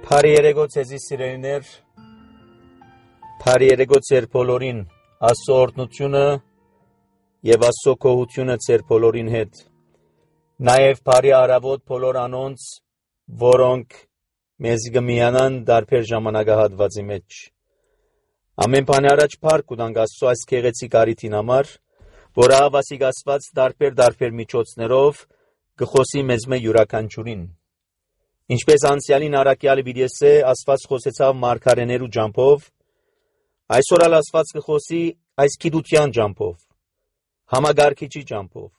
Փարի երեգո ցեզի սիրելիներ, Փարի երեգո ցեր բոլորին, Աստծո օրհնությունը եւ Աստծո գոհությունը ցեր բոլորին հետ։ Նաեւ Փարի արավոտ բոլոր անոնց, որոնք մեզ գմիանան դարբեր ժամանակահատվածի մեջ։ Ամեն բանի առաջ փառք ունենք Աստծո այս գեղեցիկ արիթին համար, որ ահավասիկ Աստված դարբեր միջոցներով գխոսի մեզ մե յուրաքանչյուրին։ Ինչպես անցյալին առաքյալը վիրեսե Աստված խոսեցավ մարգարեներու ջամփով, այսօր ալ Աստված կխոսի այս գիտության ջամփով, համագարկիչի ջամփով,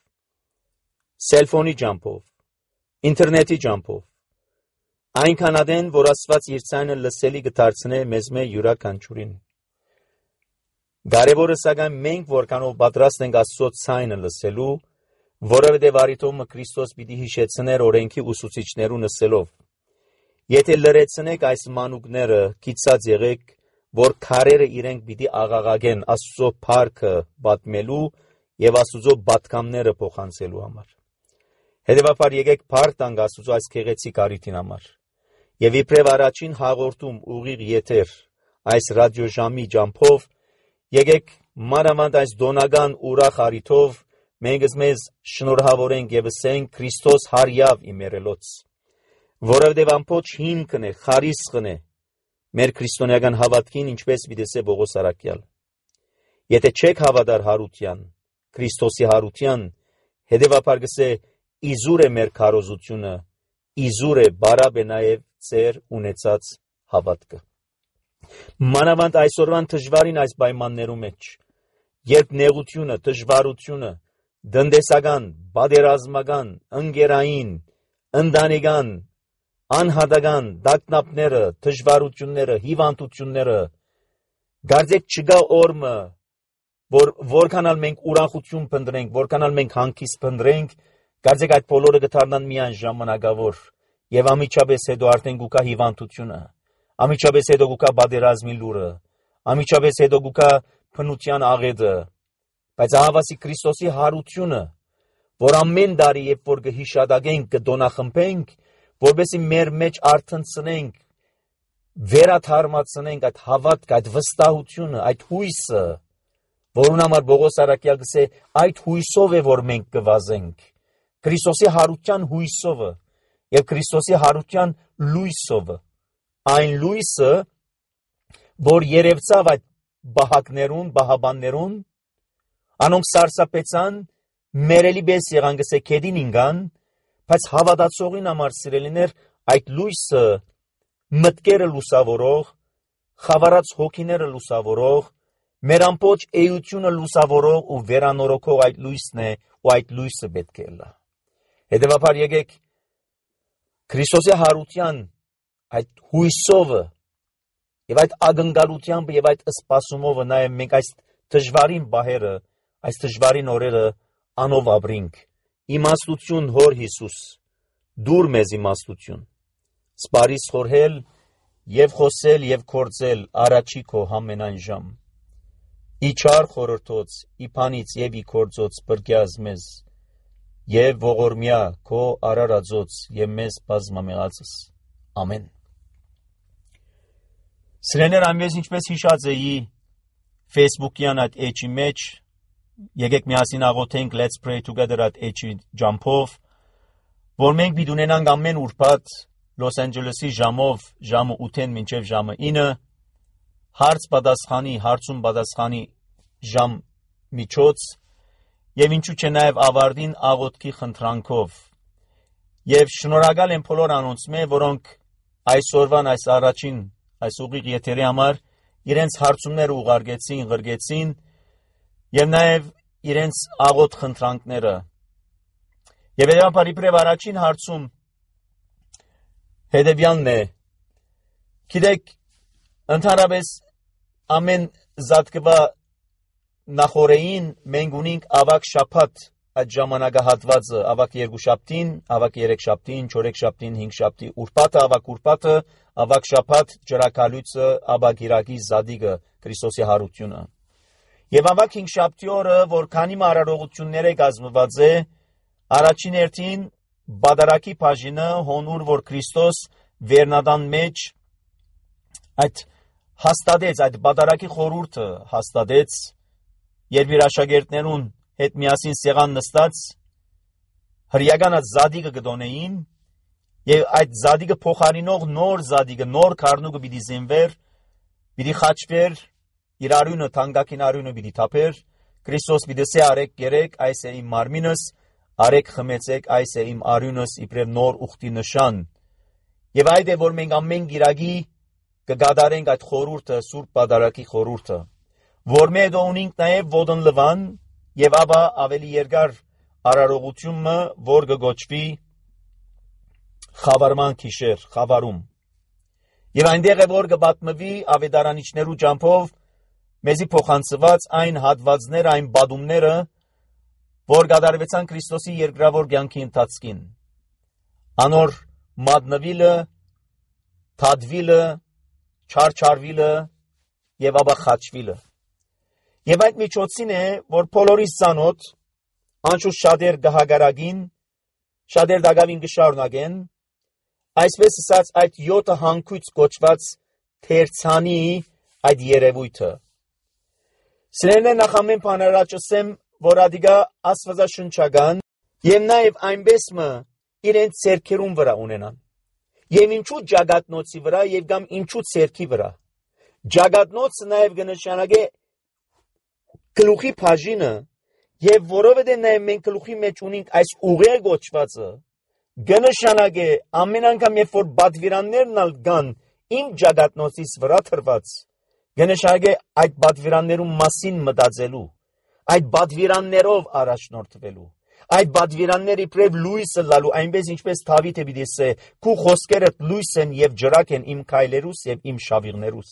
սելֆոնի ջամփով, ինտերնետի ջամփով, այնքան ադեն, որ Աստված իր ցայնը լսելի կդարձնե մեզ մե յուրաքանչյուրին։ Կարևորը սակայն մենք որքանով պատրաստ ենք Աստծո ցայնը լսելու, որովհետև արիթոմը Քրիստոս պիտի հիշեցներ օրենքի ուսուցիչներու նսելով։ Եթե լրացնեք այս մանուկները, գիծած եղեք, որ քարերը իրենք պիտի աղաղագեն Աստծո փառքը պատմելու եւ Աստծո պատգամները փոխանցելու համար։ Հետևաբար եկեք փառք տանք Աստծո այս գեղեցիկ արիթին համար։ Եվ իբրև առաջին հաղորդում ուղիղ եթեր այս ռադիոժամի ջամփով եկեք մանավանդ այս դոնական ուրախ արիթով մենք մեզ շնորհավորենք եւ ասենք Քրիստոս հարյավ իմերելոց, որովհետեւ ամբողջ հիմքն է, խարիսխն է մեր քրիստոնեական հավատքին, ինչպես վիդեսե Պողոս առաքյալ։ Եթե չեք հավատար հարության, Քրիստոսի հարության, հետևաբար գսե իզուր է մեր քարոզությունը, իզուր է բարաբե նաեւ ծեր ունեցած հավատքը։ Մանավանդ այսօրվան դժվարին այս պայմաններու մեջ, երբ նեղությունը, դժվարությունը, դնդեսական, բادرազմական, ընկերային, ընտանեկան, անհատական դակնապները, դժվարությունները, հիվանդությունները, գարձեք չգա օրը, որքանալ մենք ուրախություն փնտրենք, որքանալ մենք հանգիստ փնտրենք, գարձեք այդ բոլորը կդառնան միայն ժամանակավոր, եւ ամիջապես հետո արդեն գուկա հիվանդությունը, ամիջապես հետո գուկա բادرազմի լուրը, ամիջապես հետո գուկա փնության աղետը, բայց ահավասի Քրիստոսի հարությունը, որ ամեն տարի երբ որ կհիշադակենք, կդոնախմբենք, որովհետեւ մեր մեջ արթնցնենք, վերաթարմացնենք այդ հավատքը, այդ վստահությունը, այդ հույսը, որուն համար Պողոս առաքյալ գսե այդ հույսով է որ մենք կվազենք, Քրիստոսի հարության հույսով եւ Քրիստոսի հարության լույսով, այն լույսը, որ երևցավ այդ բահակներուն, բահաբաններուն, անոնք սարսափեցան, մերելի պես եղան գսե քեդին ինգան, բայց հավատացողին համար սիրելիներ այդ լույսը մտքերը լուսավորող, խավարած հոգիները լուսավորող, մեր ամբողջ էությունը լուսավորող ու վերանորոգող այդ լույսն է ու այդ լույսը պետք է լա։ Հետևաբար եկեք Քրիստոսի հարության այդ հույսով եւ այդ ակնկալությամբ եւ այդ սպասումով նաեւ մենք այս դժվարին բահերը, այս դժվարին օրերը անով ապրենք։ Իմաստություն հոր Հիսուս, դուր մեզ իմաստություն, սպարիս խորհել եւ խոսել եւ կործել առաջի քո համենայն ժամ։ Իչար խորհրդոց, իփանից եւ իքորձոց բրգյազ մեզ, եւ ողորմյա քո արարածոց եւ մեզ բազմամեղածս։ Ամեն։ Սրեներ ամենից ինչպես հիշած էի Facebook-յան այդ էջի մեջ, եկեք միասին աղոթենք Let's Pray Together at էջի ջամփով, որ մենք պիտի ունենանք ամեն ուրբաթ Լոս Անջելեսի ժամով, ժամը 8-ին մինչև ժամը 9, հարց պատասխանի ժամ միջոց, եւ ինչու՞ չէ նաեւ ավարտին աղոթքի խնդրանքով։ Եվ շնորհակալ եմ բոլոր անոնց մե, որոնք այսօրվան այս առաջին այս ուղիղ եթերի համար իրենց հարցումները ուղարկեցին, գրգեցին եւ նաեւ իրենց աղոթ խնդրանքները։ Եվ հետո իբրև առաջին հարցում հետեւյալն է. գիտեք, ընդհանրապես ամեն զատկվա նախորեին մենք ունենք ավակ շաբաթ այդ ժամանակահատվածը, ավակ երկուշաբթին, ավակ երեքշաբթին, չորեքշաբթին, հինգշաբթի, ուրբաթը, ավակ շաբաթ, ջրակալույցը, ավակ Իրակի զադիգը, Քրիստոսի հարությունը։ Եվ ավակ հինգշաբթի օրը, որ քանի մարարողություններ է կազմված է, առաջին հերթին բադարակի բաժինը հոնուր, որ Քրիստոս վերնադան մեջ այդ հաստատեց, այդ բադարակի խորհուրդը հաստատեց, երբ իր աշակերտներուն հետ միասին սեղան նստած հրյական այդ զադիգը գտոնեին եւ այդ զադիգը փոխարինող նոր զադիգը, նոր քառնուկը պիտի զինվեր, պիտի խաչվեր, իր արյունը, թանկագին արյունը պիտի թափեր, Քրիստոս պիտի սե արեք գերեք, այս է իմ մարմինս, արեք խմեցեք, այս է իմ արյունս, իբրև նոր ուխտի նշան։ Եվ այդ է, որ մենք ամեն գիրագի կգադարենք այդ խորհուրդը, Սուրբ Պատարագի խորհուրդը, որ մեր ունենք նաև ոտն լվան եւ ապա ավելի երկար արարողությունը, որ կգոչվի խավարման քիշեր, խավարում։ Եվ այնտեղ է, որ կպատմվի ավետարանիչներու ճամփով մեզի փոխանցված այն հատվածները, այն բադումները, որ կատարվեցան Քրիստոսի երկրավոր կյանքի ընթացքին։ Անոր մատնվիլը, թադվիլը, չարչարվիլը եւ ապա խաչվիլը։ Եվ այդ միջոցին է, որ բոլորիս ցանոթ, անշուշտ շատեր գահագարագին, շատեր դակավին կշարունակեն, այսպես ասած այդ 7 հանգույց կոչված թերցանի այդ երևույթը։ Սրանն նախ ամեն բան առաջացեմ, որ ադիգա աստվածաշնչական եւ նաեւ այնպես մը իրենց ցերքերուն վրա ունենան։ Եվ ինչու ջագատնոցի վրա եւ կամ ինչու ցերքի վրա։ Ջագատնոցը նաեւ կնշանակե գլուխի բաժինը եւ որովհետեւ նաեւ մենք գլուխի մեջ ունենք այս ուղեղ գոչվածը, կնշանակե ամեն անգամ երբ որ բադվիրաններն կան իմ ջագատնոցից վրա թրված, կնշանակե այդ բադվիրաններուն մասին մտածելու, այդ բադվիրաններով առաջնորդվելու, այդ բադվիրանները իբրև լույսը լալու, այնպես ինչպես Դավիթը պիտի ասե, քու խոսքերդ լույս են եւ ջրակ են իմ քայլերուս եւ իմ շավիղներուս։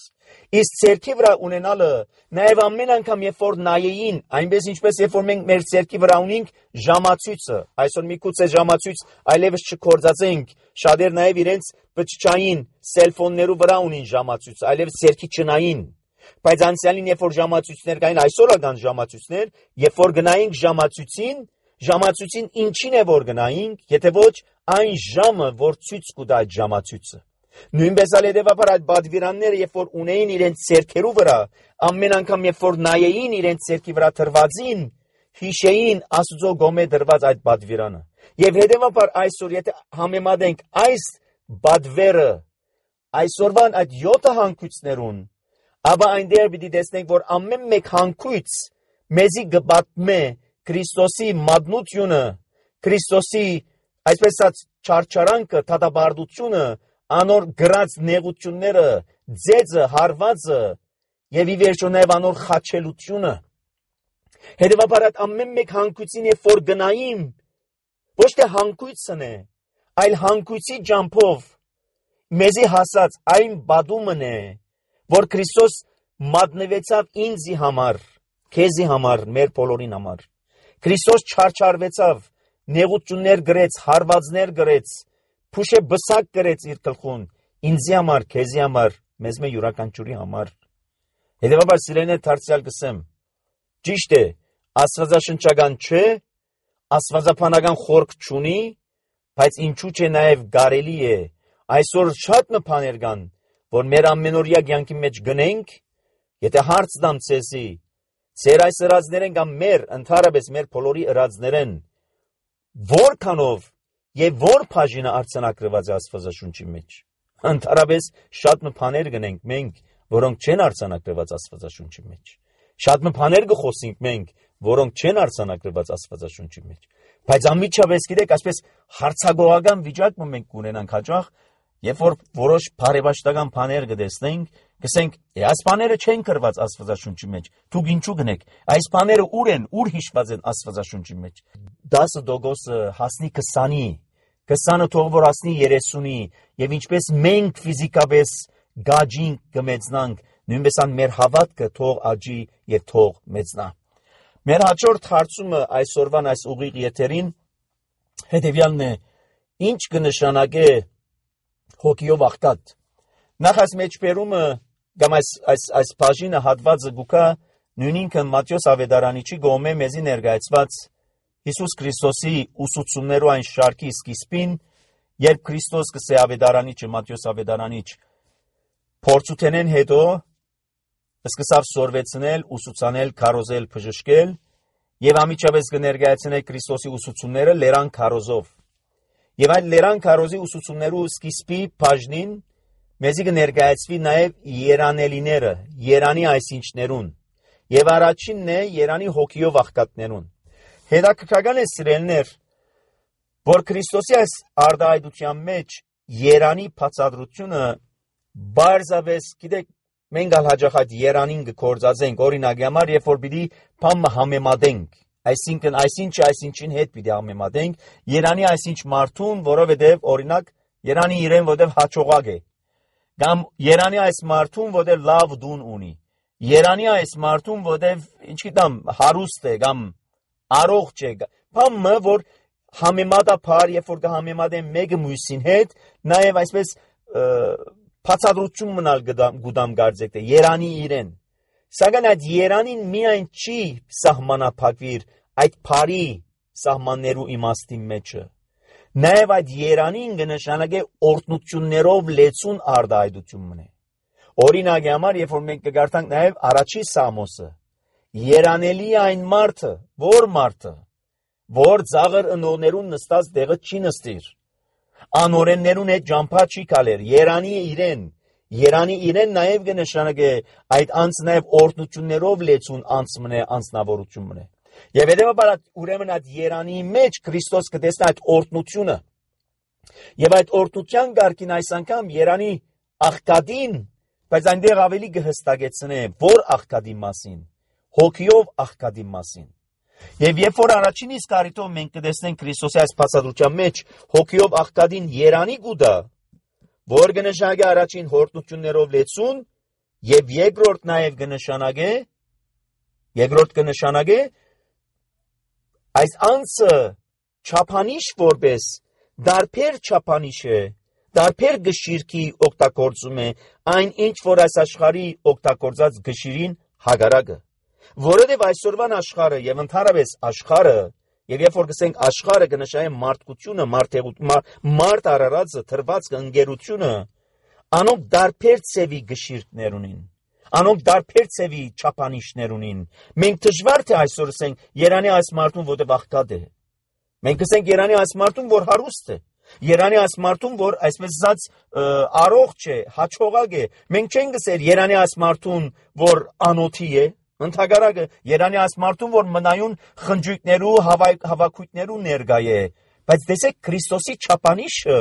Իսկ ցերքի վրա ունենալը նաեւ ամեն անգամ երբ որ նայեին, այնպես ինչպես երբ որ մենք մեր ցերքի վրա ունենք ժամացույցը, այսօր միգուցե ժամացույց այլևս չկործածենք, շատեր նաեւ իրենց բջջային սելֆոններու վրա ունին ժամացույց, այլևս ցերքի չնային։ Բայց անցյալին երբ որ ժամացույցներ կային, այսօր կան ժամացույցներ, երբ որ գնայինք ժամացույցին ինչին է որ գնայինք, եթե ոչ այն ժամը, որ ցույց կտա այդ ժամացույցը։ Նույնպես ալ հետևաբար այդ բադվիրանները, երբ որ ունեին իրենց ցերքերու վրա, ամեն անգամ երբ որ նայեին իրենց ցերքի վրա թրվածին, հիշեին Աստծո գոմե դրված այդ բադվիրանը։ Եվ հետևաբար այսօր եթե համեմատենք այս բադվերը այսօրվան այդ 7 հանգույցներուն, ապա այնտեղ պիտի տեսնենք, որ ամեն մեկ հանգույց մեզի կպատմե Քրիստոսի մատնությունը, Քրիստոսի այսպես ասած չարչարանքը, թադաբարդությունը, անոր գրած նեղությունները, ձեծը, հարվածը եւ ի վերջո նաեւ անոր խաչելությունը։ Հետևաբար այդ ամեն մեկ հանգույցին երբ որ գնայիմ, ոչ թե հանգույցն է, այլ հանգույցի ջամփով մեզի հասած այն բադումն է, որ Քրիստոս մատնվեցավ ինձի համար, քեզի համար, մեր բոլորին համար։ Քրիստոս չարչարվեցավ, նեղություններ գրեց, հարվածներ գրեց, փուշե բսակ գրեց իր գլխուն, ինձի համար, քեզի համար, մեզ մե յուրաքանչյուրի համար։ Հետևաբար սիրելին է դարձյալ կսեմ, ճիշտ է, աստվածաշնչական չէ, աստվածաբանական խորք չունի, բայց ինչու՞ չէ նաև կարելի է, այսօր շատ բաներ կան, որ մեր ամենօրյա կյանքի մեջ գնենք, եթե հարց տամ ցեզի, Ձեր այս ըրածներեն կամ մեր, ընդհանրապես մեր բոլորի ըրածներեն, որքանով եւ որ բաժինը արձանագրված է Աստվածաշունչի մեջ։ Ընդհանրապես շատ բաներ գնենք մենք, որոնք չեն արձանագրված Աստվածաշունչի մեջ։ Շատ բաներ կխոսենք մենք, որոնք չեն արձանագրված Աստվածաշունչի մեջ։ Բայց անմիջապես գիտեք, այսպես հարցագողական վիճակում մենք կունենանք հաճախ, երբ որ որոշ բարեբաշխական բաներ կտեսնենք, կսենք, այս բաները չեն գրված Աստվածաշունչի մեջ, դուք ինչու գնեք, այս բաները ուր են, ուր հիշված են Աստվածաշունչի մեջ։ 10% հասնի 20-ի, 20-ը թող որ հասնի 30-ի, եւ ինչպես մենք ֆիզիկապես գաջին կմեծնանք, նույնպես ան մեր հավատքը թող աճի եւ թող մեծնա։ Մեր հաջորդ հարցումը այսօրվան այս ուղիղ եթերին հետեւյալն է. ինչ կնշանակե հոգիով աղքատ։ Նախ այս մեջբերումը կամ այս բաժինը հատվածը գուկա նույնինքը Մատթեոս ավետարանիչի գոմե մեզի ներկայացված Հիսուս Քրիստոսի ուսուցումներու այն շարքի սկիզբին, երբ Քրիստոս կսե ավետարանիչը Մատթեոս ավետարանիչ փորձութենեն հետո սկսավ սորվեցնել, ուսուցանել, քարոզել, բժշկել եւ ամիջապես կներկայացնել Քրիստոսի ուսուցումները լերան քարոզով։ Եվ այդ լերան քարոզի ուսուցումներու սկիզբի բաժնին մեզի կներկայացվի նաեւ երանելիները, երանի այսինչներուն։ Եվ առաջինն է երանի հոգիով աղքատներուն։ Հետաքրքրական է սիրելիներ, որ Քրիստոսի այս արտահայտության մեջ երանի բացատրությունը բարձավես, գիտեք, մենք հաջողած երանին կգործածենք, օրինակի համար, երբ որ պիտի բամը համեմատենք, այսինքն այսինչին հետ պիտի համեմատենք, երանի այսինչ մարդուն, որովհետև օրինակ երանի իրեն որտև հաջողակ է, կամ երանի այս մարդուն, որտև լավ դուն ունի, երանի այս մարդուն, որտև ինչ գիտեմ, հարուստ է, կամ առողջ է, բամը, որ համեմատաբար, երբ որ կհամեմատեն մեկը մյուսին հետ, նաև այսպես բացատրություն մնալ գուդամ գարձեք է, երանի իրեն։ Սակայն այդ երանին միայն չի սահմանափակվիր այդ բարի սահմաններու իմաստի մեջը։ Նաև այդ երանին կնշանակե օրհնություններով լեցուն արտահայտություն մնե։ Օրինակի համար, երբ որ մենք կգարտանք նաև առաջի Սամոսը, երանելի այն մարդը, որ ծաղր ընողներուն նստած տեղը չի նստիր, անօրեններուն հետ ճամփա չի գալեր, երանի իրեն նաև կնշանակե այդ անձ նաև օրհնություններով լեցուն անձ մնե, անձնավորություն մնե։ Եվ հետևաբար ուրեմն այդ երանի մեջ Քրիստոս կտեսնի այդ օրհնությունը։ Եվ այդ օրհնության կարգին այս անգամ երանի աղքատին, բայց այնտեղ ավելի կհստակեցնե, որ աղքատի մասին, հոգիով աղքատի մասին։ Եվ երբ որ առաջին իսկ առիթով մենք կտեսնենք Քրիստոսի այս բացատրության մեջ հոգիով աղքատին երանի գուտա, որ կնշանակե առաջին օրհնություններով լեցուն, եւ երկրորդ նաև կնշանակե այս անձը չափանիշ որպես դարբեր չափանիշ է, դարբեր գշիրքի օգտագործում է այն ինչ որ այս աշխարհի օգտագործած գշիրին հագարակը, որովհետև այսօրվան աշխարհը եւ ընդհանրապես աշխարհը եւ երբ որ գսենք աշխարհը կնշանակե մարդկությունը, մարդ արարածը, թրվածքը, ընկերությունը, անոնք դարբեր ցևի գշիրքներ ունին, անոնք դարբեր ցևի չափանիշներ ունին։ Մենք դժվար թե այսօր ասենք երանի այս մարդուն որտեղ աղքատ է, մենք ասենք երանի այս մարդուն որ հարուստ է, երանի այս մարդուն որ այսպես ասած առողջ է, հաջողակ է, մենք չենք ասել երանի այս մարդուն որ անոթի է, ընդհակառակը երանի այս մարդուն որ մնայուն խնջույքներու հավաքույթներու ներկա է, բայց տեսեք Քրիստոսի չափանիշը,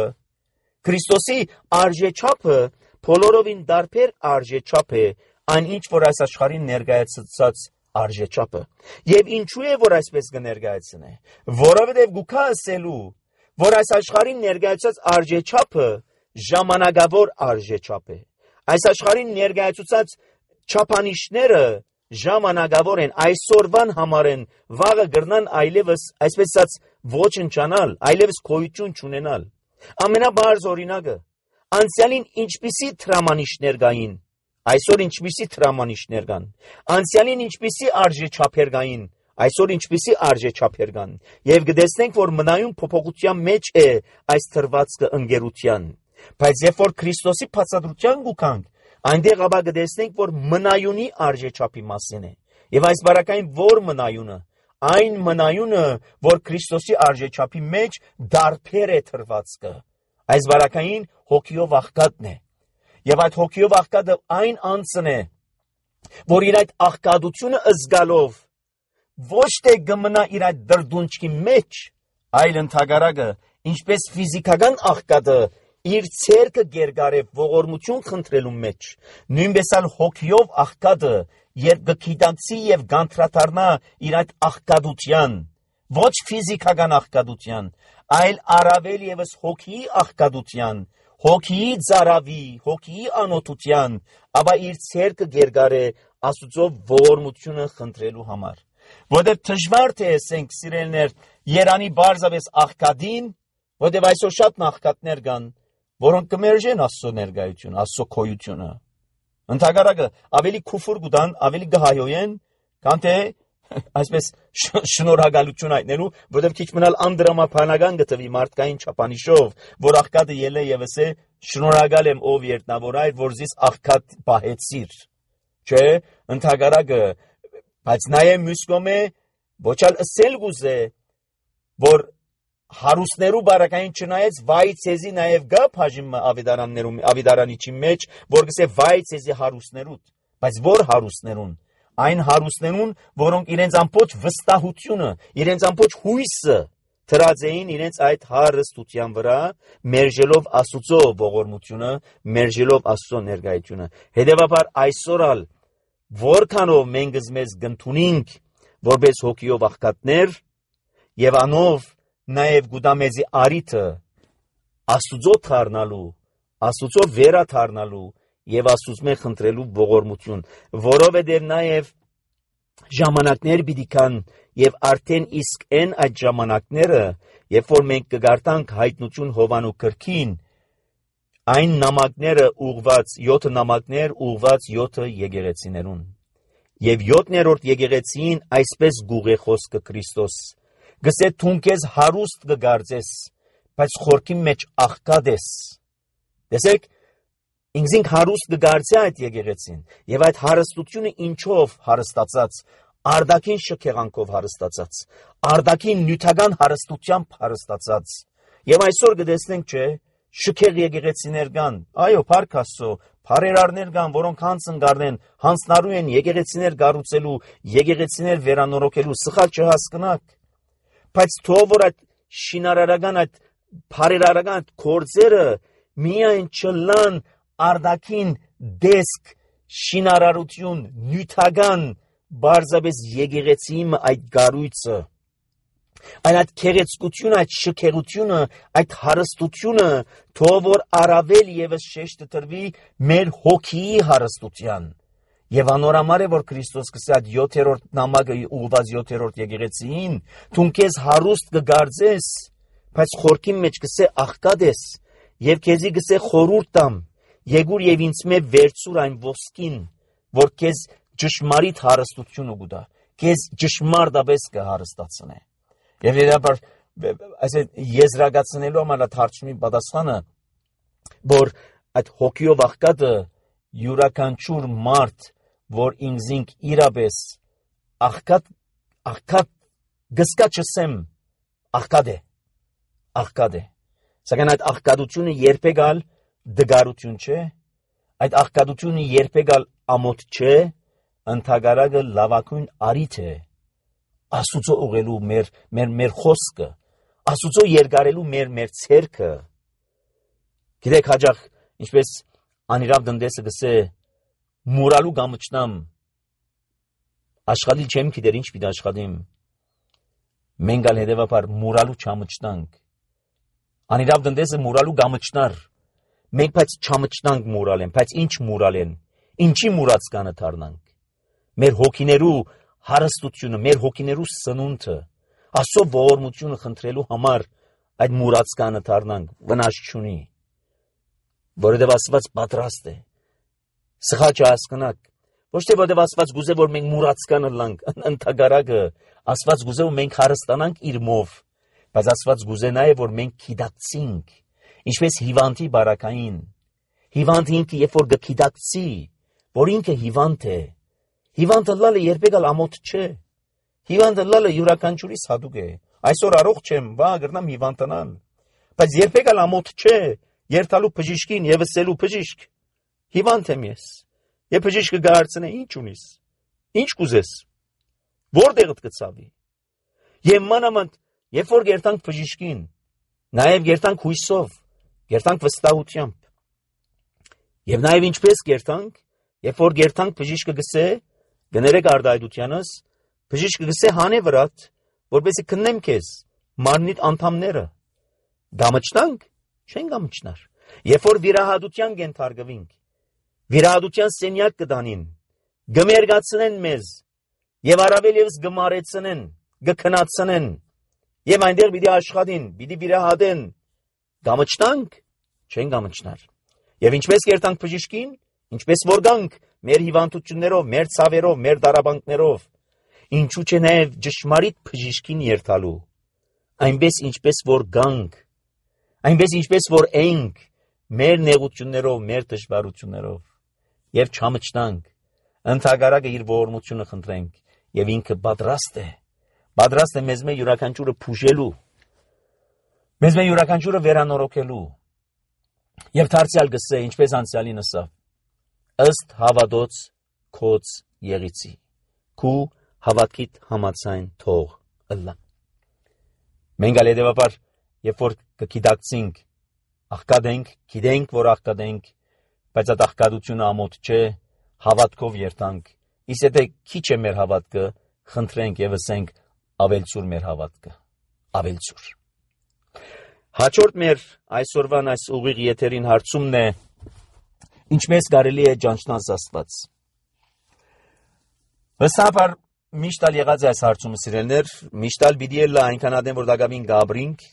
Քրիստոսի արժեչափը բոլորովին դարբեր արժեչափ է այն ինչ որ այս աշխարհին ներկայացած արժեչափը։ Եվ ինչու է որ այսպես կներկայացնե, որովհետև գուքա ասելու որ այս աշխարհին ներկայացած արժեչափը ժամանակավոր արժեչափ է, այս աշխարհին ներկայացած չափանիշները ժամանակավոր են, այսօրվան համար են, վաղը գրնան այլևս այսպես ասած ոչնչանալ, այլևս գոյություն չունենալ։ Ամենաբարձ օրինակը անցյալին ինչպիսի տրամանիշներ կային, այսօր ինչպիսի տրամանիշներ կան, անցյալին ինչպիսի արժեչափեր կային, այսօր ինչպիսի արժեչափեր կան, եւ կտեսնենք որ մնայուն փոփոխության մեջ է այս թրվածքը ընկերության, բայց երբ որ Քրիստոսի բացատրության գուքանք, այնտեղ ապա կտեսնենք որ մնայունի արժեչափի մասին է, եւ այս բարակային որ մնայունը, այն մնայունը, որ Քրիստոսի արժեչափի մեջ դարբեր է թրվածքը, այս բարակային հոգիով աղքատն է, եւ այդ հոգիով աղքատը այն անձն է, որ իր այդ աղքատությունը զգալով ոչ թե կմնա իր այդ դրդունչքի մեջ, այլ ընդհակառակը, ինչպես ֆիզիկական աղքատը իր ցերկը գերգարե ողորմություն խնդրելու մեջ, նույնպես էլ հոգիով աղքատը երբ կգիտակցի եւ գանտրատարնա իր այդ աղքատության, ոչ ֆիզիկական աղքատության, այլ առավել եւս հոգիի աղքատության, հոգիի ծարավի, հոգիի անօթության, ապա իր ցերկը գերգարե Աստծո ողորմությունը խնդրելու համար։ Որտեղ դժվար թե ասենք սիրելիներ, երանի բարձավես աղքատին, որտեղ այսօր շատ աղքատներ կան, որոնք կմերժեն Աստծո ներկայությունը, Աստծո քոյությունը։ Ընդհակառակը ավելի քուֆուր կուտան, ավելի կհայոյեն, քան թե այսպես շնորհակալություն հայտնելու, որտեղ քիչ մնալ անդրամաբանական գտվի մարդկային չափանիշով, որ աղքատը ելե եւ ասե շնորհակալ եմ ով երտնավոր այր, որ զիս աղքատ պահեցիր, չէ, ընդհակառակը, բայց նաև մյուս կողմը ոչալ ըսել գուզե, որ հարուստներու բարակային չնայեց վայ ցեզի նաև գա բաժիմը ավիդարանիչի մեջ, որ գսե վայ ցեզի հարուստներուտ, բայց որ հարուստներուն, այն հարուստներուն, որոնք իրենց ամբողջ վստահությունը, իրենց ամբողջ հույսը դրած էին իրենց այդ հարստության վրա, մերժելով Աստծո ողորմությունը, մերժելով Աստծո ներկայությունը։ Հետևաբար այսօրալ որքանով մենք մեզ գտնունինք որպես հոգիով աղքատներ եւ անով նաև գուդամեզի արիթը Աստուծո թարնալու, Աստուծո վերաթարնալու եւ Աստուծմե խնդրելու ողորմություն, որովհետեւ նաև ժամանակներ պիտի կան եւ արդեն իսկ այն այդ ժամանակները, երբ որ մենք կգարտանք հայտնություն Հովանու գրքին, այն նամակները ուղված 7 նամակներ ուղված 7 եկեղեցիներուն եւ 7-րդ եկեղեցին այսպես գուղե խոսքը Քրիստոս գսե թունքես հարուստ կգարձես, բայց խորքի մեջ աղքատ ես։ Տեսեք, ինքզինք հարուստ կգարձե այդ եկեղեցին, եւ այդ հարստությունը ինչով հարստացած, արդակին շքեղանքով հարստացած, արդակին նյութական հարստությամբ հարստացած։ Եվ այսօր կտեսնենք, չէ, շքեղ եկեղեցիներ կան, այո, փառք Աստծո, փարերարներ կան, որոնք հանցն գարնեն, հանցնարու են եկեղեցիներ կառուցելու, եկեղեցիներ վերանորոգելու, սխալ չհասկնաք։ Բայց թող որ այդ շինարարական այդ փարերարական գործերը միայն չլան արդակին դեսք շինարարություն նյութական բարձաբես եկեղեցիի այդ գառույցը այդ քեղեցկությունը այդ շքեղությունը այդ հարստությունը թող որ առավել եւս շեշտը տրվի մեր հոգիի հարստության եւ անորամար է որ Քրիստոս կսե այդ 7-րդ նամակը ուղված 7-րդ եկեղեցիին թունքես հարուստ կգարձես բայց խորքի մեջ կսե աղքատ ես եւ քեզի կսե խորուրդ տամ եկուր եւ ինձ մե վերցուր այն ոսկին որ քեզ ճշմարիտ հարստությունը կուտա քեզ ճշմարտաբես կհարստացնե եւ երբար այսինքն եզրակացնելու համար թարգմանի պատասխանը որ այդ հոգիով աղքատը յուրաքանչյուր մարդ որ ինքզինք իրապես աղքատ գսկա չսեմ աղքատ է սակայն այդ աղքատությունը երբեկալ դգարություն չէ այդ աղքատությունը երբեկալ ամոթ չէ ընդհակառակը լավագույն արիթ է Աստուծո ուղղելու մեր խոսքը Աստուծո երկարելու մեր ցերքը գիտեք հաջող ինչպես անիրավ դնդեսը գսե մուրալու գամչնամ աշխատի չեմ գիտեր ինչ պիտի աշխատիմ մենք ալ հետևաբար մուրալու չամչնանք անիրավ դնդեսը մուրալու գամչնար մենք բայց չամչնանք մուրալեն բայց ինչ մուրալեն ինչի մուրած կանը դառնանք մեր հոգիներու հարստությունը մեր հոգիներու սնունդը Աստծո ողորմությունը խնդրելու համար այդ մուրած կանը դառնանք վնաս չունի որովհետև Աստված պատրաստ է սխալ չհասկնաք ոչ թե որովհետև Աստված գուզե որ մենք մուրացկանը լանք ընդհակառակը Աստված գուզե որ մենք հարստանանք իր մով բայց Աստված գուզե նաև որ մենք գիտակցենք ինչպես հիվանդի բարակային հիվանդը ինքը երբ որ գիտակցի որ ինքը հիվանդ է հիվանդը լալը երբեկալ ամոթ չէ հիվանդը լալը յուրաքանչյուրիս հատուկ է այսօր առողջ եմ վա գրնամ հիվանդանալ բայց երբեկալ ամոթ չէ երթալու բժիշկին եւ ասելու բժիշկ հիվանդ եմ ես եւ բժիշկը գարցնե ինչ ունիս ինչ կուզես որտեղդ կծավի եւ մանավանդ երբ որ գերտանք բժիշկին նաեւ գերտանք հույսով գերտանք վստահությամբ եւ նաեւ ինչպես գերտանք երբ որ գերտանք բժիշկը գսե գներեք արդայդությանս բժիշկը գսե հանե վրատ որպեսզի քննեմ քեզ մարմնիդ անդամները գամչնանք չեն գամչնար երբ որ վիրահատության կենթարկվինք վիրահատության սենյակ կդանին գմերգացնեն մեզ եւ առավել եւս գմարեցնեն գքնացնեն եւ այնտեղ պիտի աշխատին պիտի վիրահատեն գամչնանք չեն գամչնար եւ ինչպես կերտանք բժիշկին ինչպես որ գանք մեր հիվանդություններով մեր ցավերով մեր դարաբանքներով ինչու՞ չէ նաեւ ճշմարիտ բժիշկին երթալու այնպես ինչպես որ գանք այնպես ինչպես որ ենք մեր նեղություններով, մեր դժվարություններով եւ չամճտանք, ընդհանրակը իր ողորմությունը խնդրենք եւ ինքը պատրաստ է մեզ մեր յուրաքանչյուրը փուժելու, մեզ մեր յուրաքանչյուրը վերանորոգելու եւ դարձյալ գսե, ինչպես անցյալին ասավ, ըստ հավատոց քոց եղիցի, քու հավատքիդ համացայն թող ըլլա։ Մենք ալեդեվապար, երբ որ կգիտակցենք, աղկադենք, գիտենք, որ աղկադենք, բայց այդ աղկադությունը ամոթ չէ, հավատքով երթանք, իսկ եթե քիչ է մեր հավատքը, խնդրենք եւ ասենք ավելցուր մեր հավատքը, ավելցուր։ Հաջորդ մեր այսօրվան այս ուղիղ եթերին հարցումն է, ինչպես կարելի է ճանչնալ Աստված։ Վստահաբար միշտ ալ եղած է այս հարցումը սիրելներ, միշտ ալ պիտի ելա այնքան ադեմ, որ դակամին գաբրինք,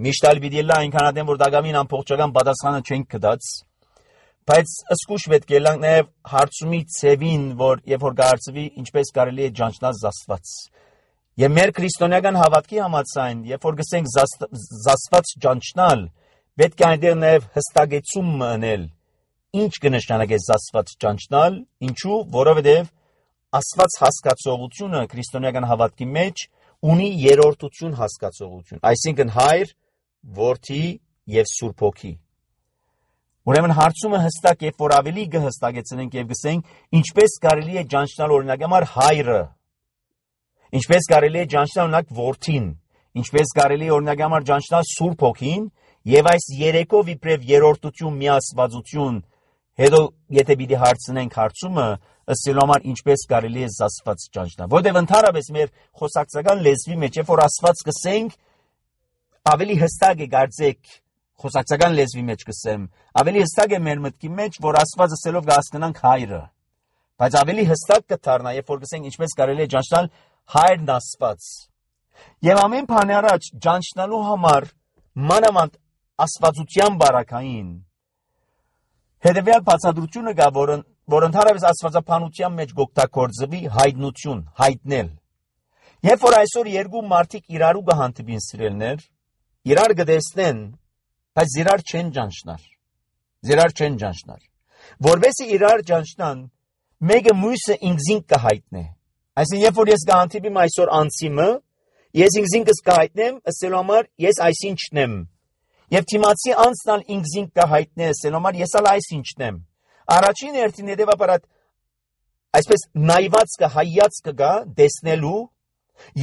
միշտ ալ պիտի ելա այնքան ադեմ, որ դակամին ամբողջական պատասխանը չենք կդած, բայց ըսկուշ պետք է լանք նաև հարցումի ցևին, որ երբ որ կարծվի ինչպես կարելի է ճանչնալ Աստված։ Եվ մեր քրիստոնեական հավատքի համաձայն, երբ որ գսենք Աստված ճանչնալ, պետք է այնտեղ նաև հստակեցում մնել, ինչ կնշանակի Աստված ճանչնալ, ինչու, որովհետև Աստված հասկացողությունը քրիստոնեական հավատքի մեջ ունի երրորդություն հասկացողություն, այսինքն Հայր, Որդի եւ Սուրբ Հոգի։ Ուրեմն հարցումը հստակ է, որ ավելի կհստակեցնենք եւ գսենք, ինչպես կարելի է ճանչնալ օրինակ համար Հայրը, ինչպես կարելի է ճանչնալ օրինակ Որդին, ինչպես կարելի է օրինակ համար ճանչնալ Սուրբ Հոգին եւ այս երեքով իբրև երրորդություն միասվածություն, հետո եթե պիտի հարցնենք հարցումը, ըստ համար ինչպես կարելի է Աստված ճանչնալ, որտեղ ընդհանրապես մեր խոսակցական լեզվի մեջ, երբ որ Աստված կսենք, ավելի հստակ է կարծեք խոսակցական լեզվի մեջ կսեմ, ավելի հստակ է մեր մտքի մեջ, որ Աստված ասելով կհասկանանք Հայրը, բայց ավելի հստակ կդառնա, երբ որ կսենք ինչպես կարելի է ճանչնալ Հայրն Աստված։ Եվ ամեն բանի առաջ ճանչնալու համար մանավանդ աստվածության բարակային հետևյալ բացատրությունը կա, որ ընդհանրապես աստվածաբանության մեջ գօգտագործվի հայտնություն, հայտնել։ Երբ որ այսօր երկու մարդիկ իրարու կհանդիպին սիրելներ, իրար կտեսնեն, բայց իրար չեն ճանչնար։ Որովհետեւ իրար ճանչնան, մեկը մյուսը ինքզին կհայտնե։ Այսինքն, երբ որ ես կհանդիպիմ այսօր անցիմը, ես ինքզինքս կհայտնեմ, ասելու համար ես այսինչն եմ։ Եվ թիմացի անցնալ ինքզին կհայտնե, ասելու համար ես ալ այսինչն եմ։ Առաջին հերթին հետևաբար այսպես նայվածքը, հայացքը կա տեսնելու,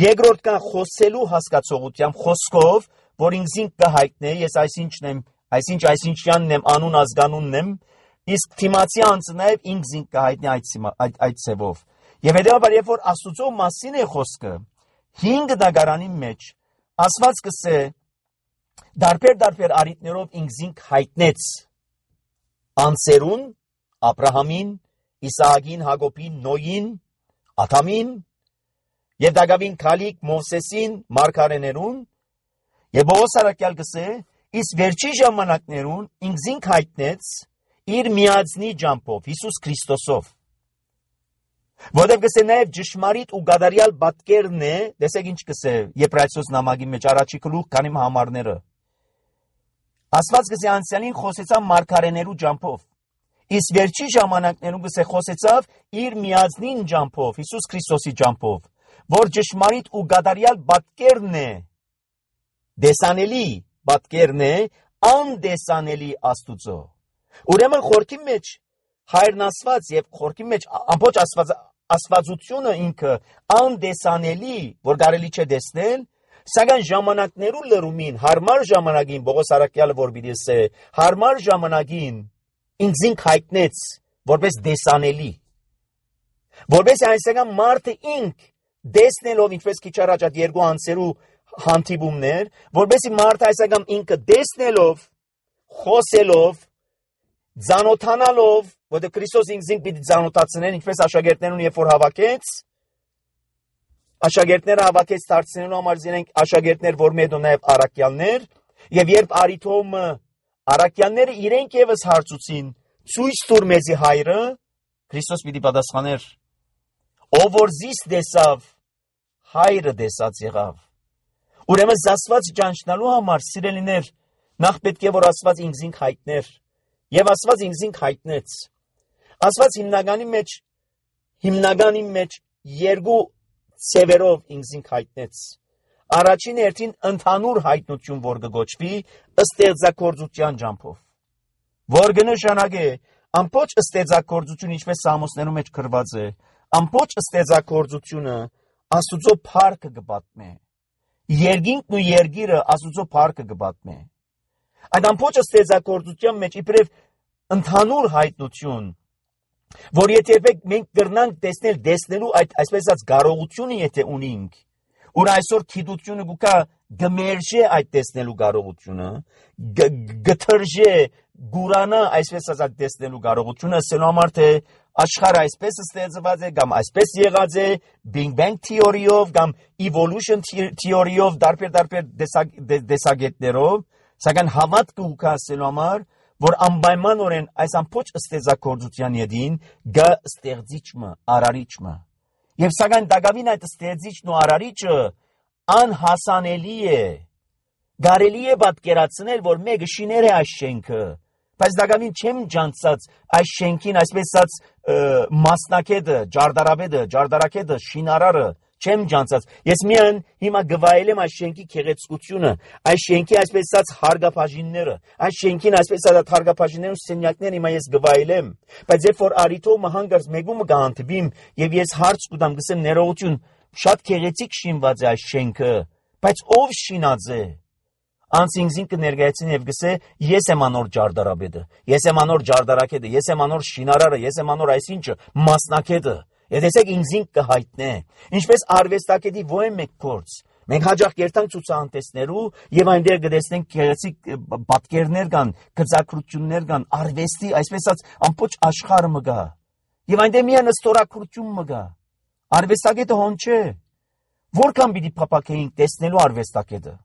երկրորդ կա խոսելու հասկացողությամբ, խոսքով, որ ինքզին կհայտնե, ես այսինչն եմ, այսինչյանն եմ, անուն ազգանունն եմ, իսկ թիմացի անձը նաև ինքզին կհայտնի այդ ցևով։ Եվ հետևաբար երբ որ Աստծո մասին է խոսքը, 5 դագարանի մեջ Աստված կսե դարբեր արիտներով ինքզին հայտնեց անձերուն, Աբրահամին, Իսահակին, Հակոբին, Նոյին, Ադամին, եւ Դագավին Քալիկ, Մովսեսին, Մարգարեներուն, եւ Պողոս առաքյալ կսե, իսկ վերջի ժամանակներուն ինքզին հայտնեց իր միածնի ջամփով, Հիսուս Քրիստոսով։ Որտեղ կսե նաև ճշմարիտ ու գադարյալ պատկերն է, տեսեք ինչ կսե Եբրայեցոս նամակի մեջ առաջի գլուխ քանի համարները։ Աստված կսե անցյալին խոսեցավ մարգարեներու ջամփով, իսկ վերջի ժամանակներում կսե խոսեցավ իր միածնին ջամփով, Հիսուս Քրիստոսի ջամփով, որ ճշմարիտ ու գադարյալ պատկերն է, դեսանելի պատկերն է, անդեսանելի Աստուծո։ Ուրեմն խորքի մեջ Հայրն Աստված եւ խորքի մեջ ամբողջ աստվածությունը ինքը անդեսանելի, որ կարելի չէ տեսնել, սակայն ժամանակներու լրումին, հարմար ժամանակին Պողոս առաքյալը որ պիտի ասե, հարմար ժամանակին ինքզին հայտնեց որպես դեսանելի, որպես այսական մարդը ինք տեսնելով ինչպես քիչ առաջ այդ երկու անձերու հանդիպումներ, որպեսի մարդը այսական ինքը տեսնելով, խոսելով, ծանոթանալով, որտեղ Քրիստոս ինքզին պիտի ծանոթացնեն, ինչպես աշակերտներուն երբ որ հավաքեց, աշակերտները հավաքեց դարձնելու համար զինենք աշակերտներ, որ մետո նաև առաքյալներ, եւ երբ արիթոմը առաքյալները իրենք եւս հարցուցին, ցույց տուր մեզի Հայրը, Քրիստոս պիտի պատասխաներ, ով որ զիս տեսավ, Հայրը տեսած եղավ։ Ուրեմն Աստված ճանչնալու համար սիրելիներ, նախ պետք է որ Աստված ինքզին հայտներ, եւ Աստված ինքզին հայտնեց։ Աստված հիմնականի մեջ երկու ծևերով ինքզին հայտնեց։ Առաջին հերթին ընդհանուր հայտնություն, որ կգոչվի ստեղծագործության ջանքով, որ կնշանակի ամբողջ ստեղծագործությունը, ինչպես Սամոսներում մեջ գրված է, ամբողջ ստեղծագործությունը Աստուծո փառքը կպատմի։ Երկինքն ու երկիրը Աստուծո փառքը կպատմի։ Այդ ամբողջ ստեղծագործության մեջ իբրև ընդհանուր հայտնություն, որ եթե մենք կրնանք տեսնելու այդ այսպես ասած կարողությունը եթե ունենք, որ այսօր գիտությունը գուկա գմերժե այդ տեսնելու կարողությունը, գթրժե գուրանա այսպես ասած տեսնելու կարողությունը, ասելու համար թե աշխարհը այսպես ստեղծված է, կամ այսպես եղած է, Big Bang theory-ով, կամ evolution theory-ով, դարբեր տեսակետներով, սակայն հավատքը ուկա ասելու համար, որ անպայմանորեն այս ամբողջ ստեղծագործության յետին գա ստեղծիչը, արարիչը։ Եվ սակայն դակավին այդ ստեղծիչն ու արարիչը անհասանելի է։ Կարելի է պատկերացնել, որ մեկը շիներ է այս շենքը, բայց դակավին չեմ ջանցած այս շենքին այսպես ասած մասնակետը, ջարդարակետը, շինարարը չեմ ջանցած։ Ես միայն հիմա գվայելեմ այս շենքի քեղեցկությունը, այս շենքի այսպես ասած հարգապաշինները, այս շենքին այսպես ասած հարգապաշիններն ու սենյակներն հիմա ես գվայելեմ, բայց երբ որ արիթով հանգարց մեգումը գանտվիմ եւ ես հարց կուտամ գսեմ ներողություն, շատ քեղեցիկ շինված է այս շենքը, բայց ով շինած է։ Անցինքին կներկայացնի եւ գսե ես եմ անոր ջարդարաբեդը, ես եմ անոր ջարդարակետը, ես եմ անոր շինարարը, ես եմ անոր այսինչը մասնակետը։ Եթե ինքզին կհայտնե, ինչպես արվեստագետի ո՞ե մեկ փորձ։ Մենք հաջող կերտանք ցուցահանդեսներու եւ այնտեղ կտեսնենք գեղեցիկ պատկերներ կան, գծակրություններ կան, արվեստի, այսպես ասած, ամբողջ աշխարհը մը գա։ Եվ այնտեղ միայն ստորակրություն մը գա։ Արվեստագետը հոն չէ։ Որքան պիտի փապակեինք տեսնելու արվեստագետը։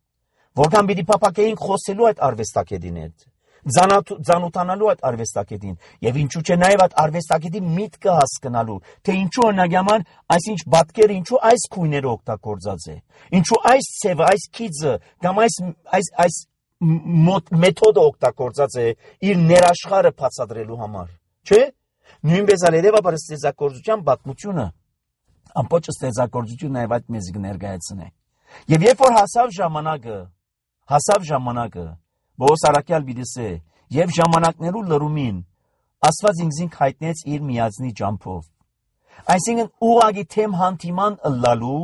Որքան պիտի փապակեինք խոսելու այդ արվեստագետին հետ։ Ձանութանալու այդ արվեստագետին եւ ինչու՞ չէ նաեւ այդ արվեստագետի միտքը հասկանալու, թե ինչու հնագաման այսինչ բատկերը ինչու այս քույները օգտագործած է, ինչու այս ցևը, այս քիծը կամ այս մեթոդը օգտագործած է իր ներաշխարը բացատրելու համար, չէ՞։ Նույնպես ալերևաբար ստեղծագործության պատմությունը ամբողջ ստեղծագործությունը նաեւ այդ մեզ կներկայացնի։ Եվ երբ որ հասավ ժամանակը Բոս արակյալ բիդսե եւ ժամանակներու լրումին Աստված ինքզին հայտնեց իր միածնի ջամփով։ Այսինքն ուղագի թեմ հանդիման ըլլալու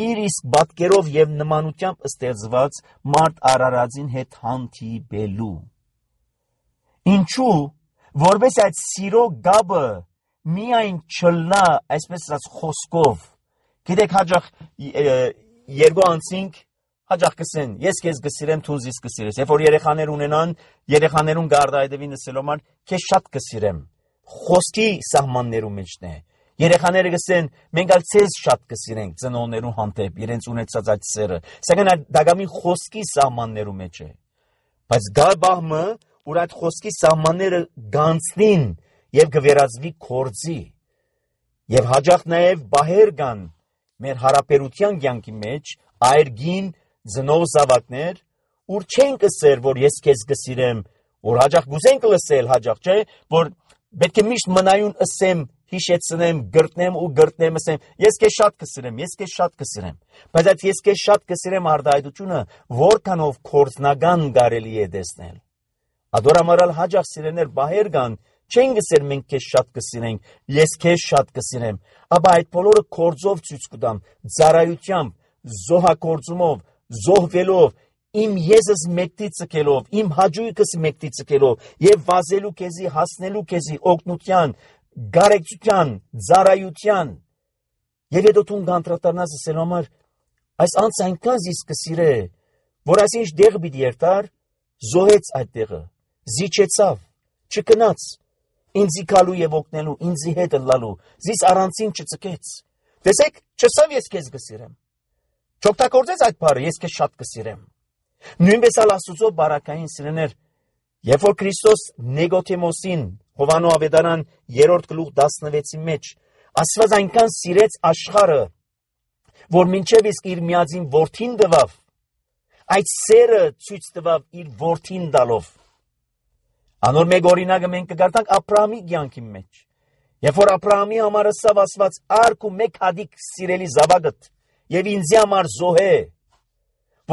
իր իսկ բատկերով եւ նմանությամբ ստեղծված մարդ արարածին հետ հանդիպելու։ Ինչու որպես այդ սիրո գաբը միայն չլնա այսպես ասած խոսքով։ Գիտեք հաջող երկու անցինք հաջող կսեն, ես քեզ կսիրեմ, դու ինձ կսիրես։ Երբ որ երեխաներ ունենան, երեխաներուն գարդայդևին ասելով քեզ շատ կսիրեմ։ Խոսքի սահմաններում մեջն է։ Երեխաները կսեն, մենք ալ ցեզ շատ կսիրենք ծնողներուն հանդեպ, իրենց ունեցած այդ սերը։ Սակայն դակամին խոսքի սահմաններում մեջ է։ Բայց գա բահմը, որ այդ խոսքի սահմանները գանցնին եւ կվերածվի կորձի։ Եվ հաջող նաեւ բահեր կան մեր հարաբերության կյանքի մեջ այրգին Զնով զավակներ, ուր չեն կսեր, որ ես քեզ կսիրեմ, որ հաջող գուզենք լսել, հաջող չէ, որ պետք է միշտ մնայուն ասեմ, հիշեցնեմ, գրտնեմ ու գրտնեմ ասեմ, ես քեզ շատ կսիրեմ, ես քեզ շատ կսիրեմ։ Բայց այդ ես քեզ շատ կսիրեմ արդայդությունը որքանով կորձնական կարելի է տեսնել։ Ադորամարալ հաջող սիրեներ բահեր կան, չեն գսեր մենք քեզ շատ կսիրենք, ես քեզ շատ կսիրեմ, ապա այդ բոլորը կորձով ցույց կտամ, ծառայությամբ, զոհակորձումով, զոհվելով, իմ եզս մեկտի ցկելով, իմ հաջույքս մեկտի ցկելով եւ վազելու քեզի, հասնելու քեզի օգնության, գարեկցության, ծառայության։ Եվ հետո դու գանտրատարնաս ասելու համար այս անց այնքան զիս կսիրե, որ այսինչ դեղ պիտի երթար, զոհեց այդ տեղը, զիջեցավ, չկնաց, ինձի գալու եւ օգնելու, ինձի հետ լալու, զիս առանցին չծկեց։ Տեսեք, չսավ ես քեզ կսիրեմ։ Չօգտագործեց այդ բառը, ես քեզ շատ կսիրեմ։ Նույնպես Աստծո բարակային սիրեներ, երբ որ Քրիստոս Նիկոդեմոսին Հովանու ավետարան 3:16-ի մեջ Աստված այնքան սիրեց աշխարհը, որ մինչև իսկ իր միածին որդին տվավ, Այդ սերը ցույց տվավ իր որդին տալով։ Անոր մեկ օրինակը մենք կգարտանք Աբրահամի կյանքի մեջ։ Երբ որ Աբրահամի համար ասավ Աստված արք ու մեկ հատիկ սիրելի զավակդ եւ ինձի համար զոհե,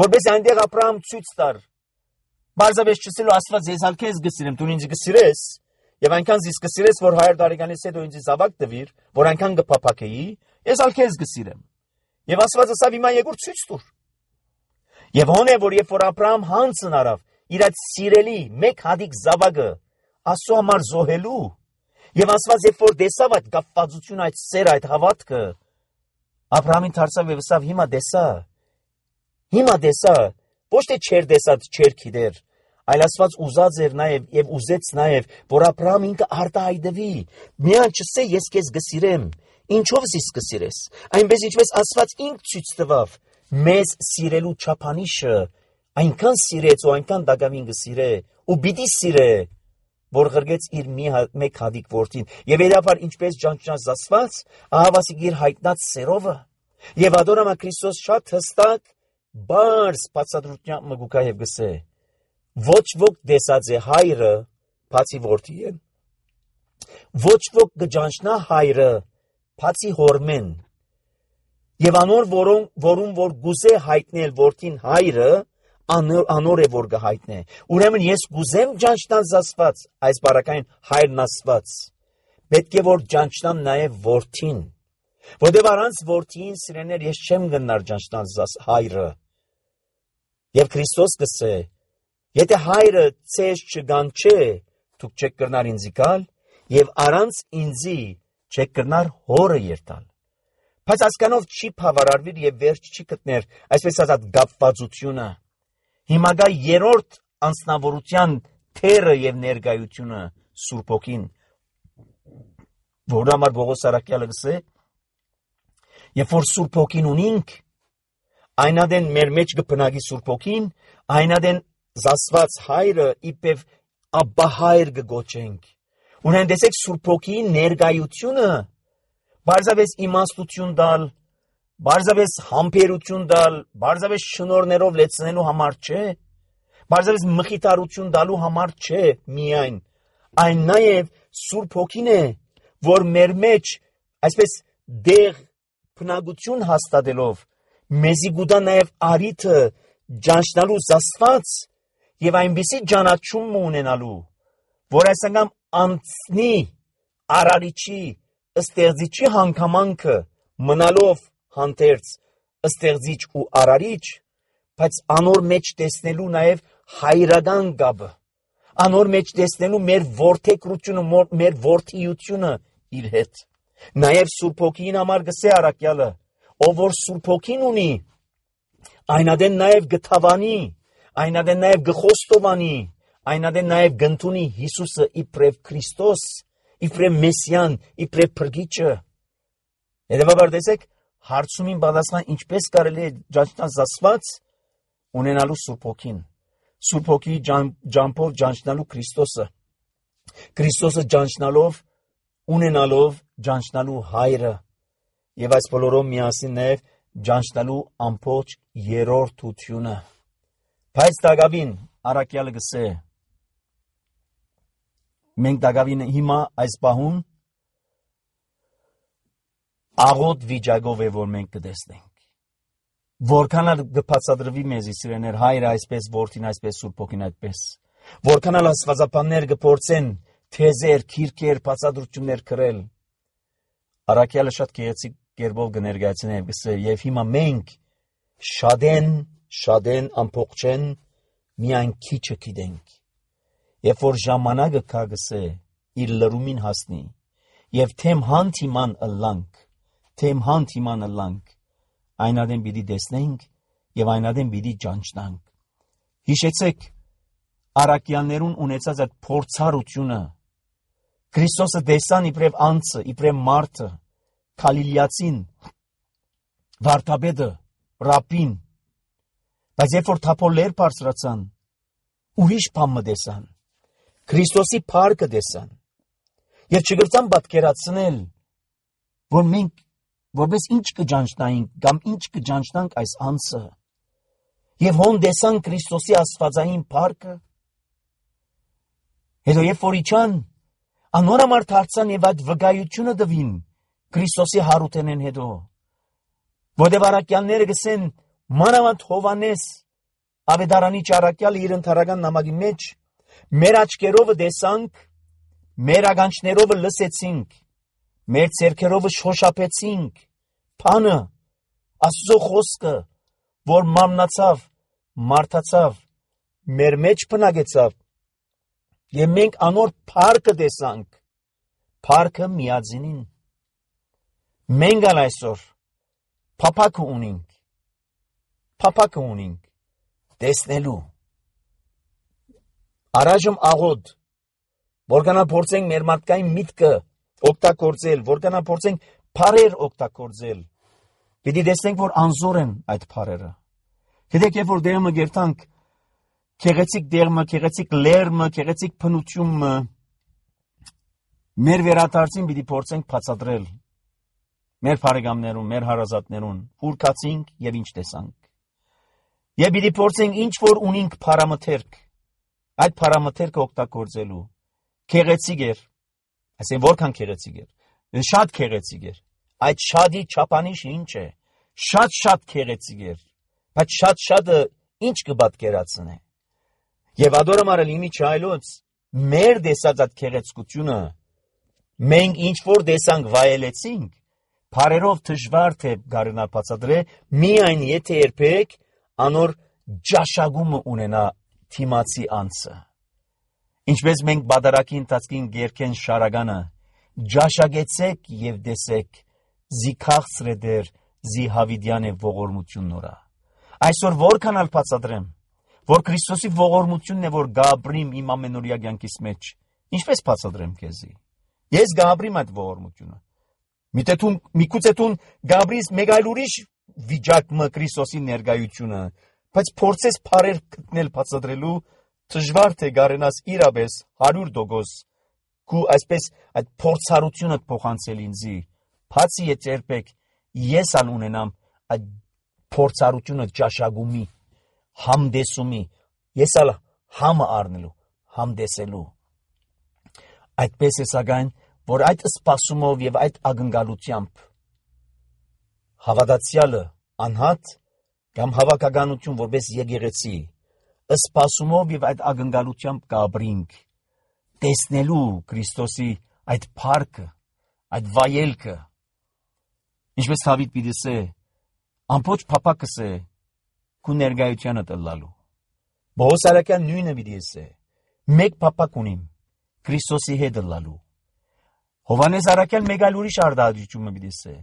որպես այնտեղ Աբրահամ ցույց տար, բարձավես չսելու Աստված ես ալ քեզ գսիրեմ, դու ինձ գսիրես, եւ այնքան զիս գսիրես, որ 100 տարեկանից հետո ինձ զավակ տվիր, որ այնքան կփափակեի, ես ալ քեզ գսիրեմ։ Եվ Աստված ասավ հիմա եկուր ցույց տուր։ Եվ հոն է, որ երբ որ Աբրահամ հանցն արավ իր այդ սիրելի մեկ հատիկ զավակը Աստծո համար զոհելու, եւ Աստված երբ որ տեսավ այդ կապվածությունը, այդ սերը, այդ հավատքը, Աբրահամին դարձավ եւ ասավ հիմա տեսա, ոչ թե չեր տեսած, չեր գիտեր, այլ Աստված ուզած էր նաեւ եւ ուզեց նաեւ, որ Աբրահամ ինքը արտահայտվի, միան չսե ես քեզ գսիրեմ, ինչով զիս կսիրես, այնպես ինչպես Աստված ինք ցույց տվավ մեզ սիրելու չափանիշը, այնքան սիրեց ու այնքան դակամին գսիրե ու պիտի սիրե, որ ղրգեց իր մեկ հատիկ որդին եւ երբար ինչպես ճանճնած Աստված ահավասիկ իր հայտնած սերովը եւ ադորամա Քրիստոս շատ հստակ բարձ բացատրությամբ մգուկա եւ գսե ոչ ոք տեսած է հայրը բացի որդիեն ոչ ոք կճանչնա հայրը բացի հորմեն եւ անոր որում որ գուզե հայտնել որդին հայրը անոր է որ գհայտնե ուրեմն ես գուզեմ ճանչնալ Աստված այս բարակային հայրն Աստված պետք է որ ճանչնամ նաեւ որդին որտեւ առանց որդին սիրեներ ես չեմ գնար ճանչնալ հայրը եւ Քրիստոս կսե եթե հայրը ցեզ չգանչե դուք չեք կրնար ինձի գալ եւ առանց ինձի չեք կրնար հորը երթալ բայց ասկանով չի բավարարվիր եւ վերջ չի գտներ այսպես ասած գապվածությունը հիմա գա երրորդ անձնավորության թերը եւ ներկայությունը Սուրբ Հոգին որ համար Պողոս Արաքյալը գսե երբ որ Սուրբ Հոգին ունինք այնադեն մեր մեջ կբնակի Սուրբ Հոգին այնադեն զասված հայրը իբև Աբբա հայր կգոչենք ունեն տեսեք Սուրբ Հոգի ներկայությունը բարձավես իմաստություն տալ բարձավես համբերություն տալ բարձավես շնորներով լեցնելու համար չէ բարձավես մխիթարություն տալու համար չէ միայն այն նաև Սուրբ Հոգին է որ մեր մեջ այսպես դեղ բնակություն հաստատելով մեզի գուտա նաև արիթը ճանչնալու Աստված եւ այնպիսի ճանաչում ունենալու որ այս անգամ անցնի արարիչի ստեղծիչի հանգամանքը մնալով հանդերձ ստեղծիչ ու արարիչ բայց անոր մեջ տեսնելու նաև հայրական գաբը անոր մեջ տեսնելու մեր որդեկրությունը մեր որդիությունը իր հետ նաև Սուրբ Հոգին համար գսե Արաքյալը ով որ Սուրբ Հոգին ունի այնադեն նաև գթավանի այնադեն նաև գխոստովանի այնադեն նաև գնդունի Հիսուսը իբրև Քրիստոս իբրև Մեսիան իբրև Փրկիչը հետևաբար տեսեք հարցումին պատասխան ինչպես կարելի է ճանչնալ Աստված ունենալու Սուրբ Հոգին Սուրբ Հոգի ջամփով ճանչնալու Քրիստոսը ճանչնալով ունենալով ճանչնալու հայրը եւ այս բոլորով միասին նաև ճանչնալու ամբողջ երրորդությունը բայց դակավին Արաքյալը գսե մենք դակավին հիմա այս պահուն աղոտ վիճակով է որ մենք կտեսնենք որքան կբացատրվի մեզի սիրեներ հայրը այսպես որդին այսպես Սուրբ Հոգին այդպես որքան աստվածապաններ կփորձեն թեզեր քիրքեր բացատրություններ կրել Արաքյալը շատ գեղեցիկ կերպով կներկայացնի եւ գսե եւ հիմա մենք շադեն ամփոփչեն միայն քիչը գիտենք Երբ որ ժամանակը կա գսե իր լրումին հասնի եւ թեմ հանդիման ըլլանք այնադեն պիտի տեսնենք եւ այնադեն պիտի ճանչնանք հիշեցեք Արաքյալներուն ունեցած այդ փորձառությունը Քրիստոսը տեսան իբրև անձը իբրև մարդը Գալիլեացին վարդապետը ռաբին բայց երբ որ թափորներ բարձրացան ուրիշ բան մտեսան Քրիստոսի փառքը տեսան եւ չգրտան պատկերացնել որ մենք որպես ինչ կճանչնայինք կամ ինչ կճանչնանք այս անձը Եվ հոն դեսան Քրիստոսի աստվածային փառքը։ Հետո երբ որ իջան, անոր համար դարձան եւ այդ վկայությունը տվին Քրիստոսի հարութենեն հետո։ Որտեղ առաքյալները գսեն մանավանդ Հովանես Ավետարանի ճառակյալը իր ընթառական նամակի մեջ մեր աչքերով տեսանք, մեր ականջներով լսեցինք, մեր ձեռքերով շոշափեցինք, փանը Աստծո խոսքը, որ մամնացավ, մարդացավ, մեր մեջ բնակեցավ, եւ մենք անոր փառքը տեսանք, փառքը միածինին։ Մենք ալ այսօր փափակը ունենք, տեսնելու։ Առայժմ աղոտ, որքանա փորձենք մեր մարդկային միտքը օգտագործել, որքանա փորձենք փառեր օգտագործել, պիտի տեսնենք, որ անզոր են այդ փառերը։ Գիտեք, երբ որ դերմը գերտանք, քեղեցիկ դերմը, քեղեցիկ լերմը, քեղեցիկ փնությունը, մեր վերադարձին պիտի փորձենք բացատրել մեր բարեկամներուն, մեր հարազատներուն, ուր կացինք եւ ինչ տեսանք։ Եվ պիտի փորձենք ինչ որ ունենք փարամթերք, այդ փարամթերքը օգտագործելու։ Քեղեցիկ էր, ասեն որքան քեղեցիկ էր, շատ քեղեցիկ էր։ Այդ շատի չափանիշը ինչ է, շատ քեղեցիկ էր, բայց շատը ինչ կպատկերացնե։ Եվ ադորամարը լիմի չայլոց, մեր դեսած այդ քեղեցկությունը, մենք ինչ որ դեսանք վայելեցինք, Փարերով դժվար թե գարնա բացատրե, միայն եթե երբեք անոր ջաշագումը ունենա թիմացի անձը։ Ինչպես մենք բادرակի ընթացքին գերքեն շարագանը, ջաշագեցեք եւ տեսեք, զի քաղցր է դեր, զի հավիդյան է ողորմություն նորա։ Այսօր որքան ալ բացատրեմ, որ Քրիստոսի ողորմությունն է, որ գաբրիմ իմ ամենօրյա կյանքիս մեջ, ինչպես բացատրեմ քեզի։ Ես գաբրիմ այդ ողորմությունը։ Միգուցե դու գաբրիս մեկ այլ ուրիշ վիճակը Քրիստոսի ներկայությունը, բայց փորձես փառեր գտնել բացատրելու, դժվար թե գարենաս իրապես 100% քու այսպես այդ փորձառությունը փոխանցել ինձի, բացի եթե երբեք ես ալ ունենամ այդ փորձառությունը ջաշագումի, համդեսումի, ես ալ համը առնելու, համդեսելու։ Այդպես է սակայն որ այդ սպասումով եւ այդ ակնկալությամբ հավատացյալը անհատ կամ հավաքականություն որպես եկեղեցի սպասումով եւ այդ ակնկալությամբ կաբրինք տեսնելու Քրիստոսի այդ փառքը, այդ վայելքը, ինչպես Դավիթ պիտի ասե, ամբողջ փափակս է քու ներկայությանը տալու։ Բողոս արաքյան նույնը պիտի ասե, մեկ փափակ ունիմ Քրիստոսի հետ լալու։ Հովանես Արաքյան մեկ այլ ուրիշ արտահայտությունը պիտի ասե։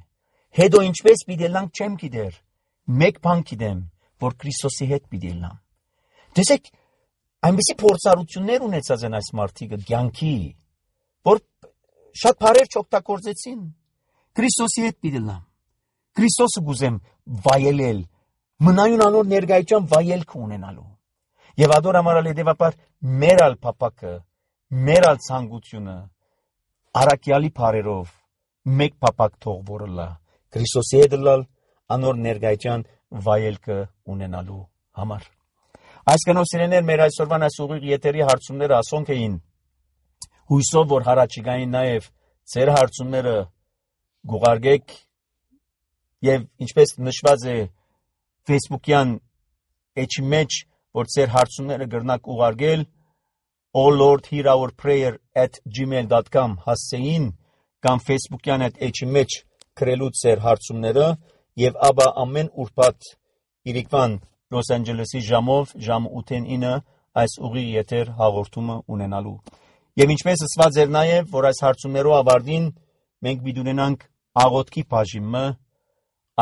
Հետո ինչպես պիտի լանք չեմ գիտեր, մեկ բան գիտեմ, որ Քրիստոսի հետ պիտի լամ։ Տեսեք, այնպիսի փորձառություններ ունեցած են այս մարդիկը կյանքի, որ շատ բարեր չօգտագործեցին։ Քրիստոսի հետ պիտի լամ։ Քրիստոսը գուզեմ վայելել, մնայուն անոր ներկայությամբ վայելք ունենալու։ Եվ ադորամարալ հետևաբար մեր ալ փափակը, մեր ալ ցանկությունը Արաքյալի բարերով մեկ փափակ թող որլա Քրիստոսի հետ լալ անոր ներկայության վայելքը ունենալու համար։ Այսքանով սիրեներ մեր այսօրվան այս ուղիղ եթերի հարցումները ասոնք էին հույսով որ հարաճիգային նաև ձեր հարցումները գուղարկեք եւ ինչպես նշված է Facebook-յան էջի մեջ որ ձեր հարցումները գրնակ ուղարկել Oh Lord, hear our prayer @gmail.com հասցեին կամ Facebook-յան այդ էջի մեջ գրելու ձեր հարցումները եւ ապա ամեն ուրբաթ իրիկվան Լոս Անջելեսի ժամով ժամ 8-9 այս ուղիղ եթեր հաղորդումը ունենալու։ Եվ ինչպես ասված էր նաեւ որ այս հարցումներով ավարտին մենք պիտի ունենանք աղոթքի բաժինը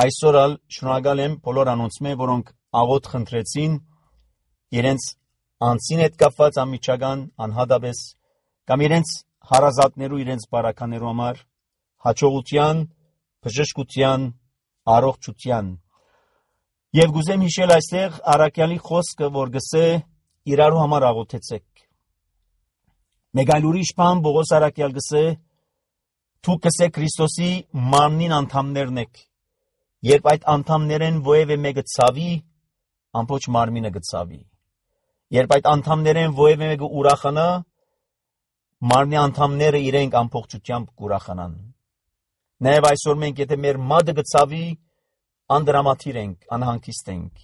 այսօր ալ շնորհակալ եմ բոլոր անոնցմե որոնք աղոթ խնդրեցին իրենց անցին հետ կապված ամիջական անհատապես կամ իրենց հարազատներու իրենց բարականերու համար հաջողության, բժշկության, առողջության եւ գուզեմ հիշել այստեղ Արաքյալի խոսքը որ գսե իրարու համար աղոթեցեք մեկ այլ ուրիշ բան Բողոս Արաքյալ գսե դու գսե Քրիստոսի մարմնին անդամներն եք երբ այդ անդամներեն ովևէ մեկը ցավի ամբողջ մարմինը գծավի։ Երբ այդ անդամներեն ովևէ մեկը ուրախանա, մարմնի անդամները իրենք ամբողջությամբ կուրախանան։ Նաև այսօր մենք եթե մեր մատը գծավի, անդրամատիր ենք, անհանգիստ ենք։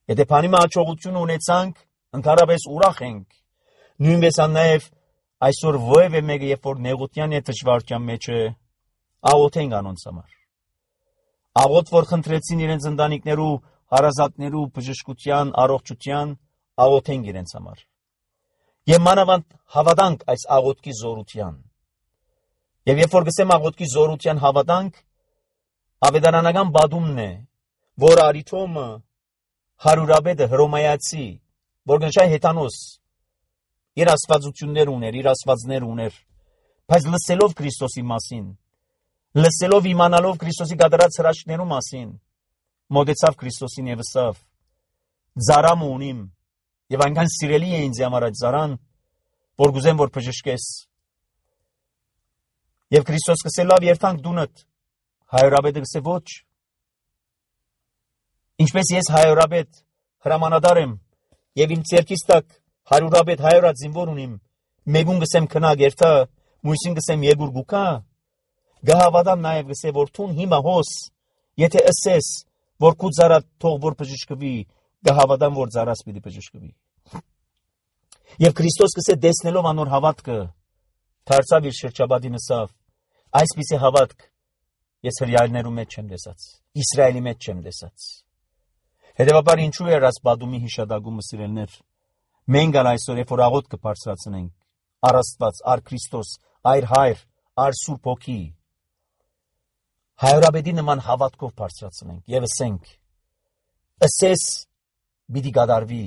Եթե բանի հաջողություն ունեցանք, ընդհանրապես ուրախ ենք։ Նույնպես նաև այսօր ովևէ մեկը երբ որ նեղության է դժվարության մեջ է, աղոթենք անոնց համար։ Աղոթ որ խնդրեցին իրենց ընտանիքներու, հարազատներու բժշկության, առողջության, աղոթենք իրենց համար։ Եվ մանավանդ հավատանք այս աղոթքի զորության։ Եվ երբ որ գսեմ աղոթքի զորության հավատանք, ավետարանական բադումն է, որ Արիթոմը հարյուրաբեդը հռոմայացի, որ գնշայ հեթանոս, իր աստվածություններ ուներ, իր աստվածներ ուներ, բայց լսելով Քրիստոսի մասին, լսելով իմանալով Քրիստոսի կատարած հրաշքներու մասին, մոտեցավ Քրիստոսին եւ ասավ. «Ծարամ ունիմ, եւ այնքան սիրելի է ինձ համար այդ ծարան, որ գուզեմ որ բժշկես»։ Եվ Քրիստոս գսել լավ երթանք դունդ, հայրաբեդը գսե ոչ։ Ինչպես ես հայրաբեդ հրամանատար եմ, եւ իմ ցերկից տակ հարյուրաբեդ հայրած զինվոր ունիմ, մեկուն գսեմ քնա գերտա, մույսին գսեմ եգուր գուկա, գահավադամ նաև գսե որ թուն հիմա հոս, եթե ասես, որ քու ծարատ թող որ բժշկվի, գահավադամ որ ծարած պիտի բժշկվի։ Եվ Քրիստոս գսե դեսնելով անոր հավատքը, դարձավ իր շրջաբադին ասավ. այսպիսի հավատք ես հրյալներու մեջ չեմ տեսած, Իսրայելի մեջ չեմ տեսած։ Հետևաբար ինչու էր այս բադումի հիշադակումը սիրելներ։ Մենք ալ այսօր երբ որ աղոթ կբարձրացնենք, առ Աստված, առ Քրիստոս, այր հայր, առ Սուրբ Հոգի, հայրաբեդի նման հավատքով բարձրացնենք եւ ասենք. ասես պիտի կատարվի,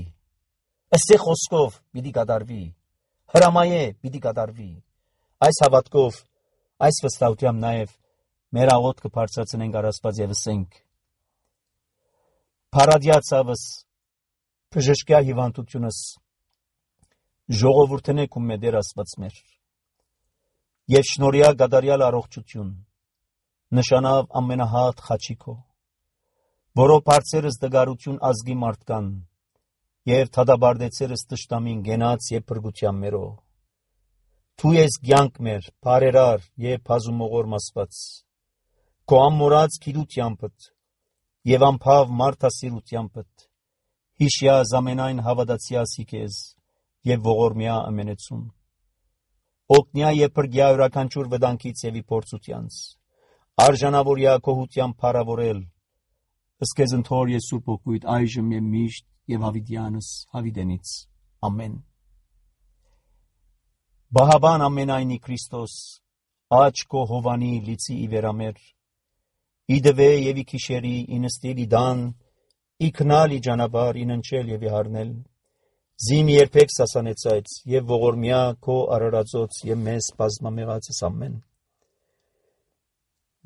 ասե խոսքով պիտի կատարվի, հրամայե պիտի կատարվի։ Այս հավատքով, այս վստահությամբ նաև մեր աղոթքը բարձրացնենք առ Աստված եւ ասենք. Փարադյացավս բժշկյա հիվանդությունս ժողովուրդն եք ու մեդեր Աստված մեր եւ շնորհյա գադարյալ առողջություն նշանավ ամենահատ խաչիկո որով բարձերս դգարություն ազգի մարդկան եւ թադաբարդեցերս տշտամին գենաց եւ փրկության մերո Դու ես կյանք մեր բարերար եւ բազումողոր մասված քո ամորած գիտությանդ եւ անփավ մարդասիրությանդ հիշյա զամենայն հավատացիասի քեզ եւ ողորմյա ամենեցուն օգնյա եւ փրկյա յուրաքանչյուր վտանգից եւ իփորձությանց արժանավորյա քոհության փառավորել ըսկեզ ընթոր ես Սուրբ Օգուտ այժմ եւ միշտ եւ հավիտյանս հավիտենից ամեն Բահաբան ամենայնի Քրիստոս աչ քո հովանի լիցի իվերամեր իդվե եւ իքիշերի ինստիլի դան իքնալի ճանապարհ իննչել եւ իհարնել Զիմ երբեք սասանեցայց եւ ողորմյա քո արարածոց եւ մեզ բազմամեղացս ամեն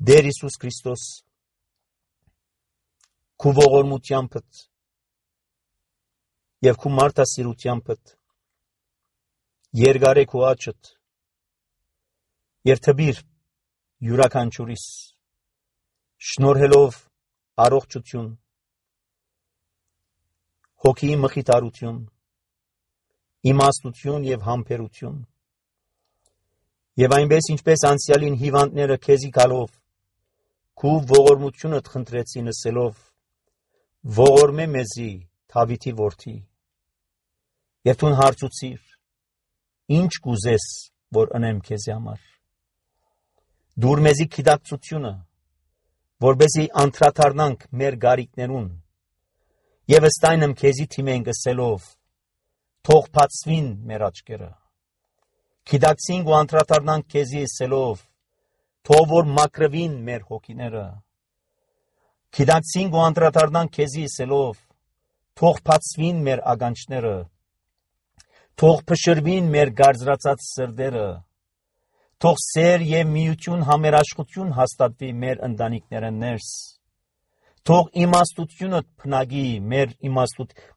Դեր Հիսուս Քրիստոս քու ողորմությանդ եւ քու մարդասիրությանդ Երգարե քու աչդ երթբիր յուրաքանչյուրիս շնորհելով առողջություն հոգի մխիթարություն իմաստություն եւ համբերություն եւ այնպես ինչպես անցյալին հիվանդները քեզի գալով քու ողորմությունդ խնդրեցին ասելով ողորմե մեզի Դավիթի որդի եւ դու հարցուցիր ինչ կուզես որ անեմ քեզի համար դուր մեզի գիտակցությունը որբեսի անդրադառնանք մեր գարիկներուն եւ ըստայնմ քեզի թիմենք ասելով թող բացվին մեր աչքերը գիտակցինք ու անդրադառնանք քեզի ասելով թող որ մաքրվին մեր հոգիները գիտակցինք ու անդրադառնանք քեզի ասելով թող բացվին մեր ագանչները թող փշրվին մեր գարձրացած սրտերը թող սեր եւ միություն համերաշխություն հաստատվի մեր ընտանիքներն ներս թող իմաստությունը փնագի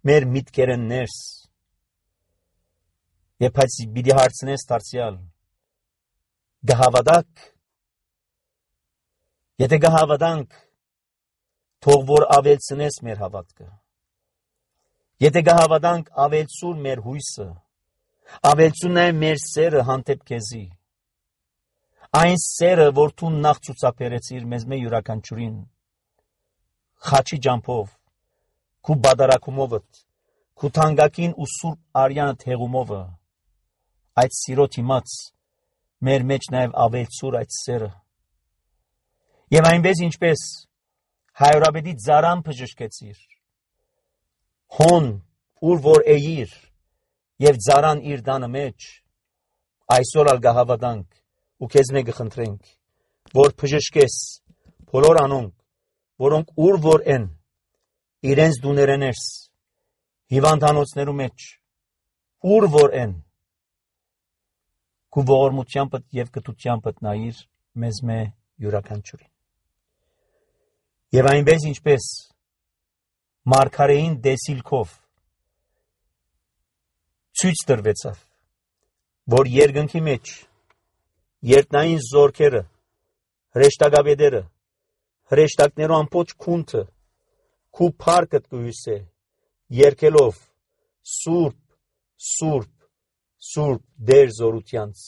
մեր միտքերն ներս եւ բայց պիտի հարցնես դարձյալ գահավադակ եթե գահավադանք թող որ ավելցնես մեր հավատքը Եթե գահավատանք ավելցուր մեր հույսը, ավելցուն է մեր սերը հանդեպ քեզի, այն սերը, որ դու նախ ցուցաբերեցիր մեզ մեր յուրաքանչյուրին, խաչի ջամփով, քու բادرակումովդ, քու թանկագին ու սուրբ արյանը թեղումովը, այդ սիրո դիմաց մեր մեջ նաև ավելցուր այդ սերը։ Եվ այնպես ինչպես հայրաբեդի ծարան բժշկեցիր, հոն ուր որ էիր եւ ծարան իր դանը մեջ, այսօր ալ գահավատանք ու քեզ մեկը խնդրենք, որ բժշկես բոլոր անոնք, որոնք ուր որ են, իրենց դուներենես, հիվանդանոցներու մեջ, ուր որ են, քու ողորմությանդ եւ կտությանդ նայիր մեզ մե յուրաքանչյուրին։ Եվ այնպես ինչպես մարգարեին դեսիլքով ցույց տրվեցավ, որ երկնքի մեջ երտնային զորքերը, հրեշտակաբեդերը, հրեշտակներու ամբողջ քունթը քու փառքդ կհյուսե, երգելով Սուրբ, Սուրբ, Սուրբ Տեր զորությանց,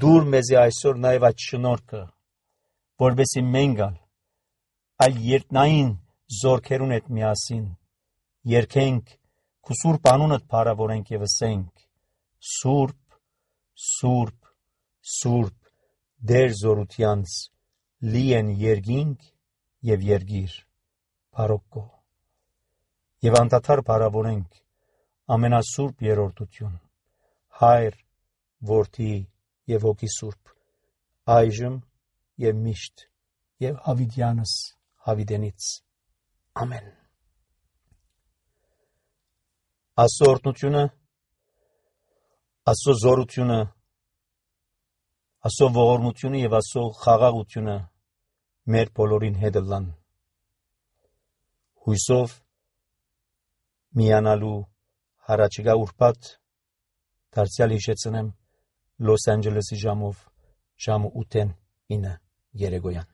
դուր մեզի այսօր նաև այդ շնորհքը, որովհետեւ մենք այլ երտնային զորքերուն հետ միասին երգենք քու սուրբ անունդ փառավորենք եւ ասենք Սուրբ, Սուրբ, Սուրբ Տեր զորությանց լի են երկինք եւ երգիր Բարոկո եւ անդադար փառավորենք ամենասուրբ երրորդություն Հայր, Որդի եւ Հոգի Սուրբ այժմ եւ միշտ եւ հավիտյանս հավիտենից ամեն Աստծո օրհնությունը Աստծո զորությունը Աստծո ողորմությունը եւ Աստծո խաղաղությունը մեր բոլորին հետ լան հույսով միանալու հարաճիգա ուրբաթ դարձյալ հիշեցնեմ Լոս Անջելեսի ժամով ժամը 8-ին 9 երեկոյան